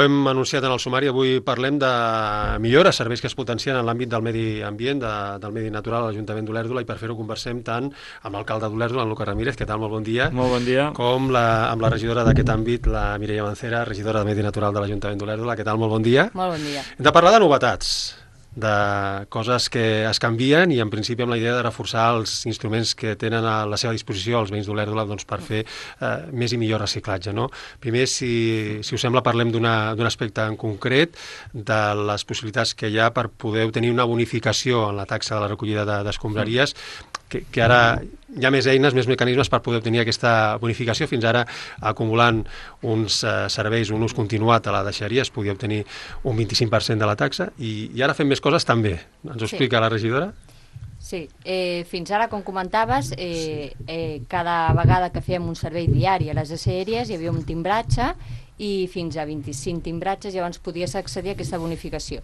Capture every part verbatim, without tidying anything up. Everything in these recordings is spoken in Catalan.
hem anunciat en el sumari, avui parlem de millores, serveis que es potencien en l'àmbit del medi ambient, de, del medi natural a l'Ajuntament d'Olèrdola, i per fer-ho conversem tant amb l'alcalde d'Olèrdola, en Lucas Ramírez, què tal, molt bon dia. Molt bon dia. Com la, amb la regidora d'aquest àmbit, la Mireia Mancera, regidora de Medi Natural de l'Ajuntament d'Olèrdola, què tal, molt bon dia. Molt bon dia. Hem de parlar de novetats, de coses que es canvien i en principi amb la idea de reforçar els instruments que tenen a la seva disposició els veïns d'Olèrdola, doncs, per fer eh, més i millor reciclatge, no? Primer, si, si us sembla, parlem d'un aspecte en concret, de les possibilitats que hi ha per poder obtenir una bonificació en la taxa de la recollida d'escombraries, que, que ara hi ha més eines, més mecanismes per poder obtenir aquesta bonificació. Fins ara, acumulant uns eh, serveis, un ús continuat a la deixeria, es podia obtenir un vint-i-cinc per cent de la taxa, i, i ara fem més coses també. Ens ho explica sí. la regidora? Sí, eh, fins ara, com comentaves, eh, eh, cada vegada que fèiem un servei diari a les deixeries hi havia un timbratge, i fins a vint-i-cinc timbratges llavors podies accedir a aquesta bonificació.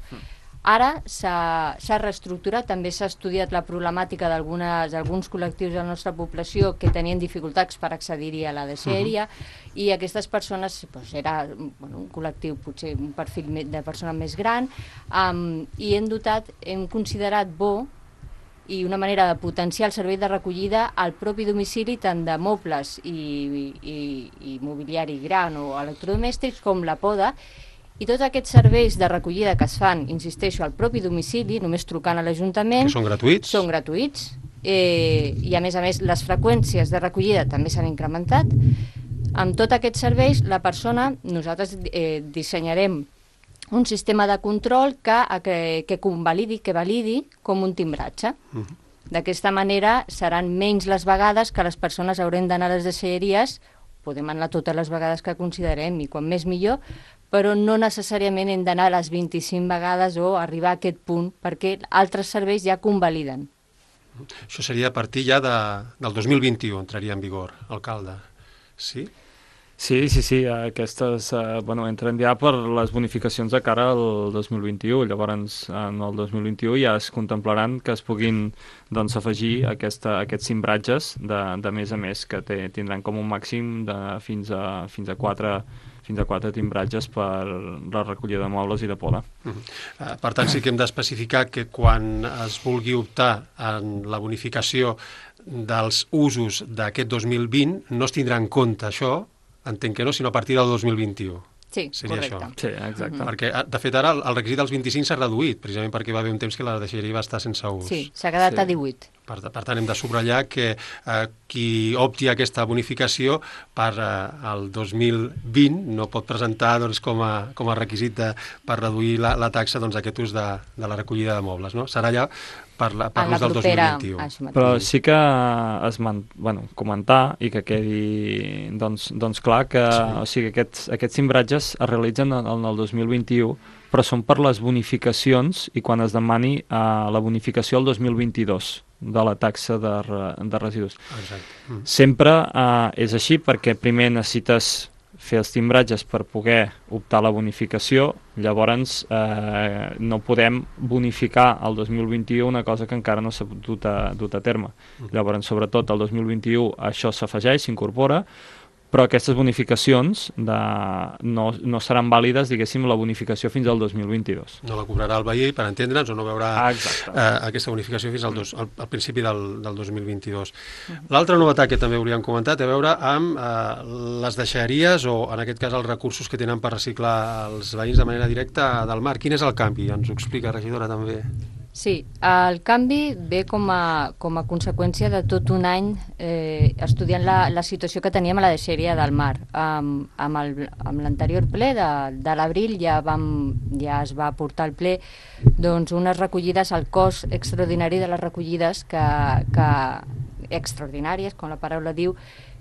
Ara s'ha reestructurat, també s'ha estudiat la problemàtica d'alguns col·lectius de la nostra població que tenien dificultats per accedir-hi a la deixeria, uh-huh. i aquestes persones, doncs, era bueno, un col·lectiu, potser un perfil de persona més gran, um, i hem dotat, hem considerat bo i una manera de potenciar el servei de recollida al propi domicili, tant de mobles i, i, i mobiliari gran o electrodomèstics com la poda. I tots aquests serveis de recollida que es fan, insisteixo, al propi domicili, només trucant a l'Ajuntament... Que són gratuïts? Són gratuïts. Eh, I a més a més, les freqüències de recollida també s'han incrementat. Amb tots aquests serveis, la persona, nosaltres eh, dissenyarem un sistema de control que, que, que convalidi, que validi com un timbratge. Uh -huh. D'aquesta manera seran menys les vegades que les persones haurem d'anar a les deixeries, podem anar totes les vegades que considerem, i quan més millor, però no necessàriament hem d'anar a les vint-i-cinc vegades o arribar a aquest punt, perquè altres serveis ja convaliden. Això seria a partir ja de, del dos mil vint-i-u, entraria en vigor, alcalde. Sí? Sí, sí, sí, aquestes eh, bueno, entren ja per les bonificacions de cara al dos mil vint-i-u, llavors en el dos mil vint-i-u ja es contemplaran que es puguin doncs, afegir aquesta, aquests cimbratges de, de més a més, que té, tindran com un màxim de fins a, fins a quatre fins a quatre timbratges per la recollida de mobles i de poda. Uh -huh. uh, per tant, sí que hem d'especificar que quan es vulgui optar en la bonificació dels usos d'aquest dos mil vint no es tindrà en compte això, entenc que no, sinó a partir del dos mil vint-i-u. Sí, seria correcte. Això. Sí, exacte. Uh-huh. Perquè, de fet, ara el, el requisit dels vint-i-cinc s'ha reduït, precisament perquè va haver un temps que la deixeria va estar sense ús. Sí, s'ha quedat sí. a divuit. Per, per tant, hem de subratllar que eh, qui opti aquesta bonificació per eh, el dos mil vint no pot presentar doncs, com, a, com a requisit de, per reduir la, la taxa doncs, aquest ús de, de la recollida de mobles, no? Serà allà per l'ús del dos mil vint-i-u. Però sí que es man, bueno, comentar i que quedi doncs, doncs clar que sí. o sigui, aquests, aquests cimbratges es realitzen en, en el dos mil vint-i-u, però són per les bonificacions i quan es demani uh, la bonificació el dos mil vint-i-dos de la taxa de, de residus. Exacte. Mm. Sempre uh, és així perquè primer necessites fer els timbratges per poder optar a la bonificació, llavors eh, no podem bonificar el dos mil vint-i-u una cosa que encara no s'ha dut a, dut a terme. Mm. Llavors, sobretot, el dos mil vint-i-u això s'afegeix, s'incorpora, però aquestes bonificacions de, no, no seran vàlides, diguéssim, la bonificació fins al dos mil vint-i-dos. No la cobrarà el veí, per entendre'ns, o no veurà ah, eh, aquesta bonificació fins al, dos, al, al principi del, del dos mil vint-i-dos. L'altra novetat que també hauríem comentat té a veure amb eh, les deixeries, o en aquest cas els recursos que tenen per reciclar els veïns de manera directa del mar. Quin és el canvi? Ens ho explica, regidora, també. Sí, el canvi ve com a, com a conseqüència de tot un any eh, estudiant la, la situació que teníem a la deixeria del mar. Um, amb l'anterior ple de, de l'abril ja, vam, ja es va portar al ple doncs, unes recollides, al cost extraordinari de les recollides, que, que extraordinàries, com la paraula diu,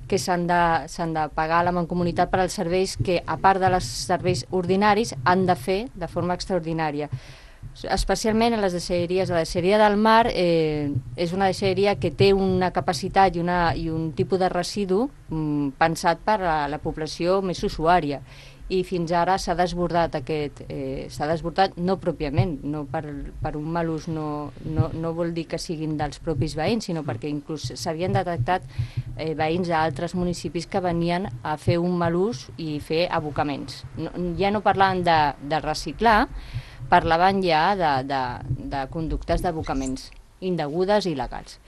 que s'han de, s'han de pagar a la Mancomunitat per als serveis que, a part dels serveis ordinaris, han de fer de forma extraordinària. especialment a les deixalleries. La deixalleria del mar eh, és una deixalleria que té una capacitat i, una, i un tipus de residu mm, pensat per a la població més usuària, i fins ara s'ha desbordat aquest, eh, s'ha desbordat no pròpiament, no per, per un mal ús, no, no, no vol dir que siguin dels propis veïns, sinó perquè inclús s'havien detectat eh, veïns d'altres municipis que venien a fer un mal ús i fer abocaments. No, ja no parlaven de, de reciclar, parlaven ja de, de, de conductes d'abocaments indegudes i il·legals.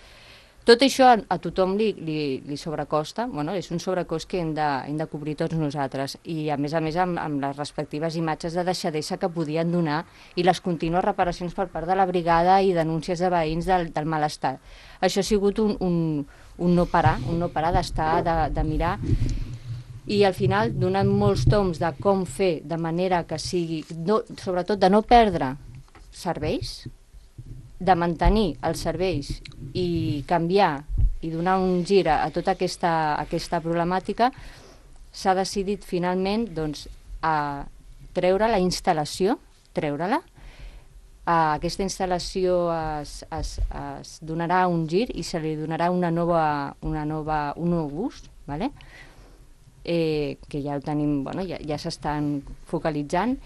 Tot això a, a tothom li, li, li sobrecosta, bueno, és un sobrecost que hem de, hem de cobrir tots nosaltres, i a més a més amb, amb les respectives imatges de deixadesa que podien donar i les contínues reparacions per part de la brigada i denúncies de veïns del, del malestar. Això ha sigut un, un, un no parar, un no parar d'estar, de, de mirar, i al final donant molts toms de com fer de manera que sigui, no, sobretot de no perdre serveis, de mantenir els serveis i canviar i donar un gir a, a tota aquesta, aquesta problemàtica, s'ha decidit finalment doncs, a treure la instal·lació, treure-la. A aquesta instal·lació es, es, es donarà un gir i se li donarà una nova, una nova, un nou ús, ¿vale? eh, que ja ho tenim, bueno, ja, ja s'estan focalitzant,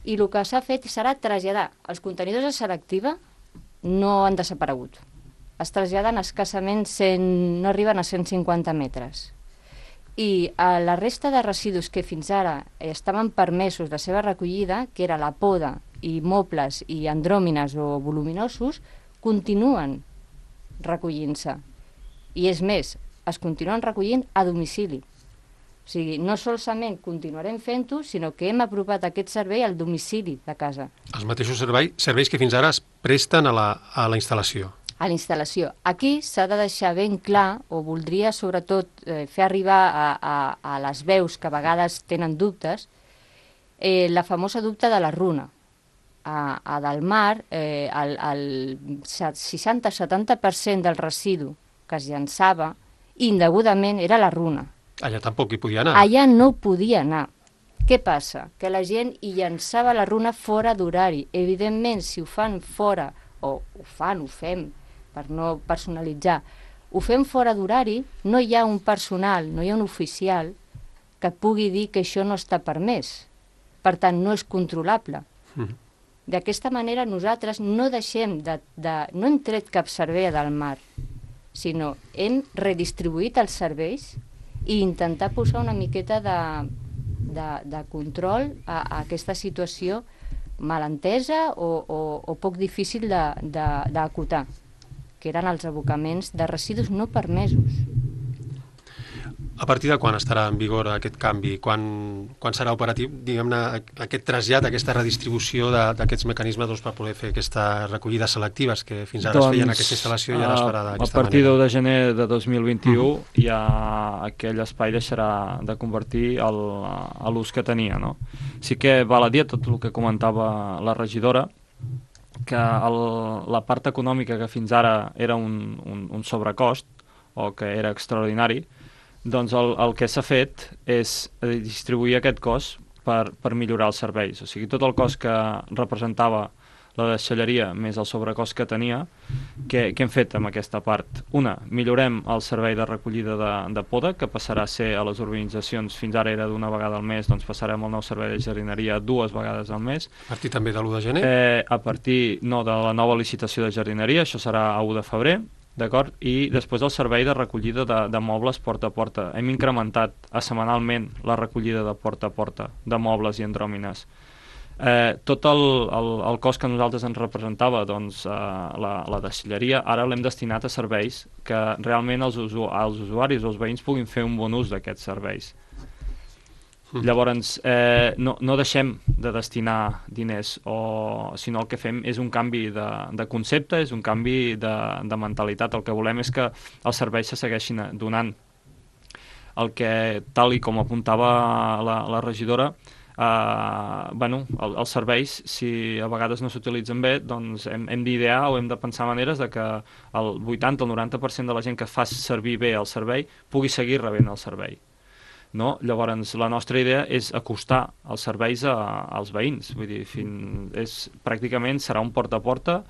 i el que s'ha fet serà traslladar els contenidors de selectiva. No han desaparegut. Es traslladen escassament cent, no arriben a cent cinquanta metres. I a la resta de residus que fins ara estaven permesos la seva recollida, que era la poda i mobles i andròmines o voluminosos, continuen recollint-se. I és més, es continuen recollint a domicili. O sigui, no solament continuarem fent-ho, sinó que hem apropat aquest servei al domicili de casa. Els mateixos serveis, serveis que fins ara es presten a la, a la instal·lació. A la instal·lació. Aquí s'ha de deixar ben clar, o voldria sobretot eh, fer arribar a, a, a les veus que a vegades tenen dubtes, eh, la famosa dubte de la runa. A, a del mar, eh, el, el seixanta a setanta per cent del residu que es llançava indegudament era la runa. Allà tampoc hi podia anar. Allà no podia anar. Què passa? Que la gent hi llançava la runa fora d'horari. Evidentment, si ho fan fora, o ho fan, ho fem, per no personalitzar, ho fem fora d'horari, no hi ha un personal, no hi ha un oficial que pugui dir que això no està permès. Per tant, no és controlable. Mm. D'aquesta manera nosaltres no deixem de, de... no hem tret cap servei del mar, sinó hem redistribuït els serveis i intentar posar una miqueta de, de, de control a, a aquesta situació malentesa o, o, o poc difícil d'acotar, que eren els abocaments de residus no permesos. A partir de quan estarà en vigor aquest canvi? Quan, quan serà operatiu, diguem-ne, aquest trasllat, aquesta redistribució d'aquests mecanismes doncs, per poder fer aquesta recollida selectives que fins ara doncs, es feien en aquesta instal·lació i ara es farà d'aquesta manera? A partir de l'u de gener de dos mil vint-i-u uh -huh. ja aquell espai deixarà de convertir el, a l'ús que tenia, no? Sí que val a dir tot el que comentava la regidora, que el, la part econòmica que fins ara era un, un, un sobrecost o que era extraordinari, doncs el, el que s'ha fet és distribuir aquest cost per, per millorar els serveis. O sigui, tot el cost que representava la deixalleria més el sobrecost que tenia, què, què hem fet amb aquesta part? Una, millorem el servei de recollida de, de poda, que passarà a ser a les urbanitzacions, fins ara era d'una vegada al mes, doncs passarem el nou servei de jardineria dues vegades al mes. A partir també de l'u de gener? Eh, a partir, no, de la nova licitació de jardineria, això serà a u de febrer, d'acord? I després el servei de recollida de, de mobles porta a porta. Hem incrementat a setmanalment la recollida de porta a porta de mobles i andròmines. Eh, tot el, el, el cost que nosaltres ens representava, doncs, eh, la, la deixalleria, ara l'hem destinat a serveis que realment els, usu, els usuaris o els veïns puguin fer un bon ús d'aquests serveis. Llavors, eh, no, no deixem de destinar diners, o, sinó el que fem és un canvi de, de concepte, és un canvi de, de mentalitat. El que volem és que els serveis se segueixin donant. El que, tal i com apuntava la, la regidora, eh, bueno, el, els serveis, si a vegades no s'utilitzen bé, doncs hem, hem d'idear o hem de pensar maneres de que el vuitanta o el noranta per cent de la gent que fa servir bé el servei pugui seguir rebent el servei. no? Llavors, la nostra idea és acostar els serveis a, als veïns. Vull dir, fin, és, pràcticament serà un porta a porta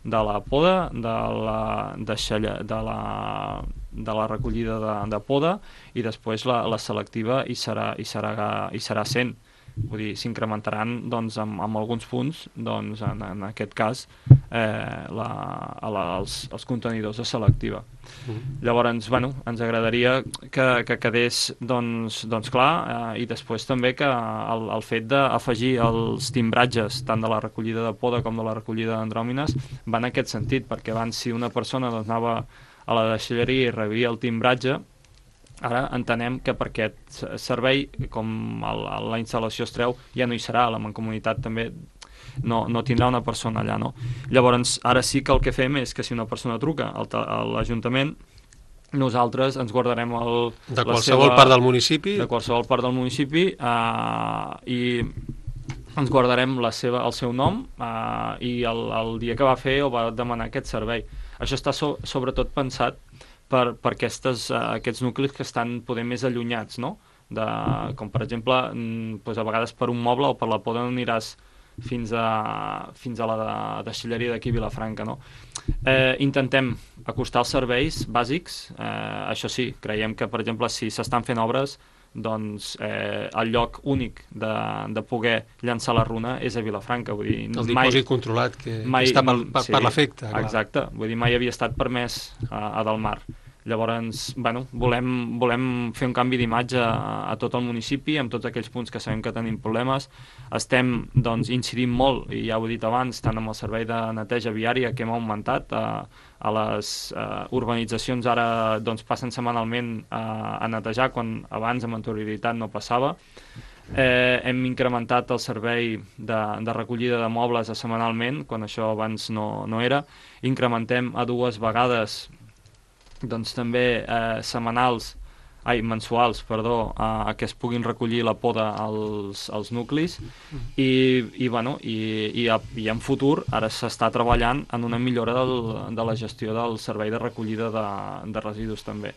de la poda, de la, de xella, de la, de la recollida de, de poda, i després la, la selectiva hi serà, hi serà, hi serà cent. Vull dir, s'incrementaran doncs, amb, amb alguns punts, doncs, en, en aquest cas, eh, la, la, els, els contenidors de selectiva. Mm. Llavors, bueno, ens agradaria que, que quedés doncs, doncs clar, eh, i després també que el, el fet d'afegir els timbratges, tant de la recollida de poda com de la recollida d'andròmines, va en aquest sentit, perquè abans si una persona doncs, anava a la deixalleria i rebia el timbratge, ara entenem que per aquest servei, com el, la instal·lació es treu, ja no hi serà, la mancomunitat també no, no tindrà una persona allà, no? Llavors, ara sí que el que fem és que si una persona truca al, a l'Ajuntament, nosaltres ens guardarem el, de qualsevol seva, part del municipi de qualsevol part del municipi eh, i ens guardarem la seva, el seu nom eh, i el, el dia que va fer o va demanar aquest servei. Això està so, sobretot pensat per, per aquestes, uh, aquests nuclis que estan poder més allunyats, no? De, com per exemple, mm, doncs a vegades per un moble o per la poda no aniràs fins a, fins a la de, deixalleria d'aquí a Vilafranca, no? Eh, intentem acostar els serveis bàsics, eh, això sí, creiem que per exemple si s'estan fent obres, doncs eh, el lloc únic de, de poder llançar la runa és a Vilafranca. Vull dir, el dipòsit mai, controlat que, mai, que està per, per, sí, per l'efecte. Exacte, vull dir, mai havia estat permès a, a Delmar. Llavors, bueno, volem, volem fer un canvi d'imatge a, a tot el municipi, amb tots aquells punts que sabem que tenim problemes. Estem, doncs, incidint molt, i ja ho he dit abans, tant amb el servei de neteja viària que hem augmentat, a, a les uh, urbanitzacions ara doncs, passen setmanalment a, a netejar, quan abans amb anterioritat no passava. Eh, hem incrementat el servei de, de recollida de mobles a setmanalment, quan això abans no, no era. Incrementem a dues vegades doncs també eh, setmanals, ai, mensuals, perdó, a, a que es puguin recollir la poda als, als nuclis i, i, bueno, i, i, a, i en futur ara s'està treballant en una millora del, de la gestió del servei de recollida de, de residus també.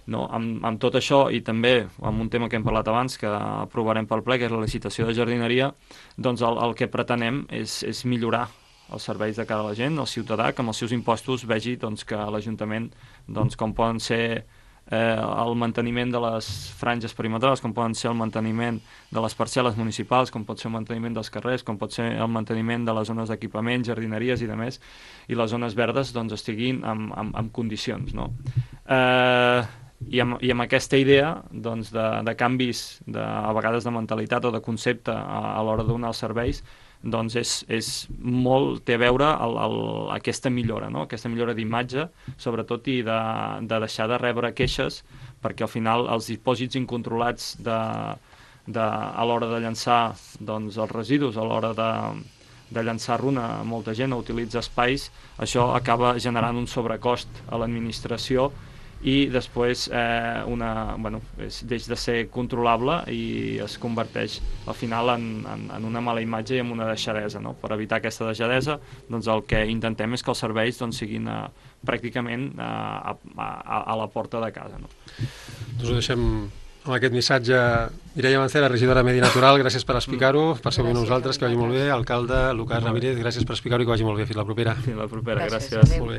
No, amb, amb tot això i també amb un tema que hem parlat abans que aprovarem pel ple, que és la licitació de jardineria, doncs el, el que pretenem és, és millorar els serveis de cara a la gent, el ciutadà, que amb els seus impostos vegi doncs, que l'Ajuntament, doncs, com poden ser eh, el manteniment de les franges perimetrals, com poden ser el manteniment de les parcel·les municipals, com pot ser el manteniment dels carrers, com pot ser el manteniment de les zones d'equipament, jardineries i demés, i les zones verdes doncs, estiguin en, en, en condicions. No? Eh, i, amb, I amb aquesta idea doncs, de, de canvis, de, a vegades de mentalitat o de concepte a, a l'hora de donar els serveis, doncs és, és molt, té a veure el, el, aquesta millora, no? Aquesta millora d'imatge, sobretot, i de, de deixar de rebre queixes, perquè al final els dipòsits incontrolats de, de, a l'hora de llançar doncs, els residus, a l'hora de, de llançar runa, molta gent utilitza espais, això acaba generant un sobrecost a l'administració i després eh, una, bueno, és, deix de ser controlable i es converteix al final en, en, en una mala imatge i en una deixadesa. No? Per evitar aquesta deixadesa, doncs el que intentem és que els serveis doncs, siguin eh, pràcticament eh, a, a, a la porta de casa. No? Doncs ho deixem amb aquest missatge. Mireia Mancera, regidora de Medi Natural, gràcies per explicar-ho, per ser amb nosaltres, que vagi molt bé. Alcalde Lucas Ramírez, gràcies per explicar-ho i que vagi molt bé. Fins la propera. Fins la propera, gràcies. gràcies. Molt bé.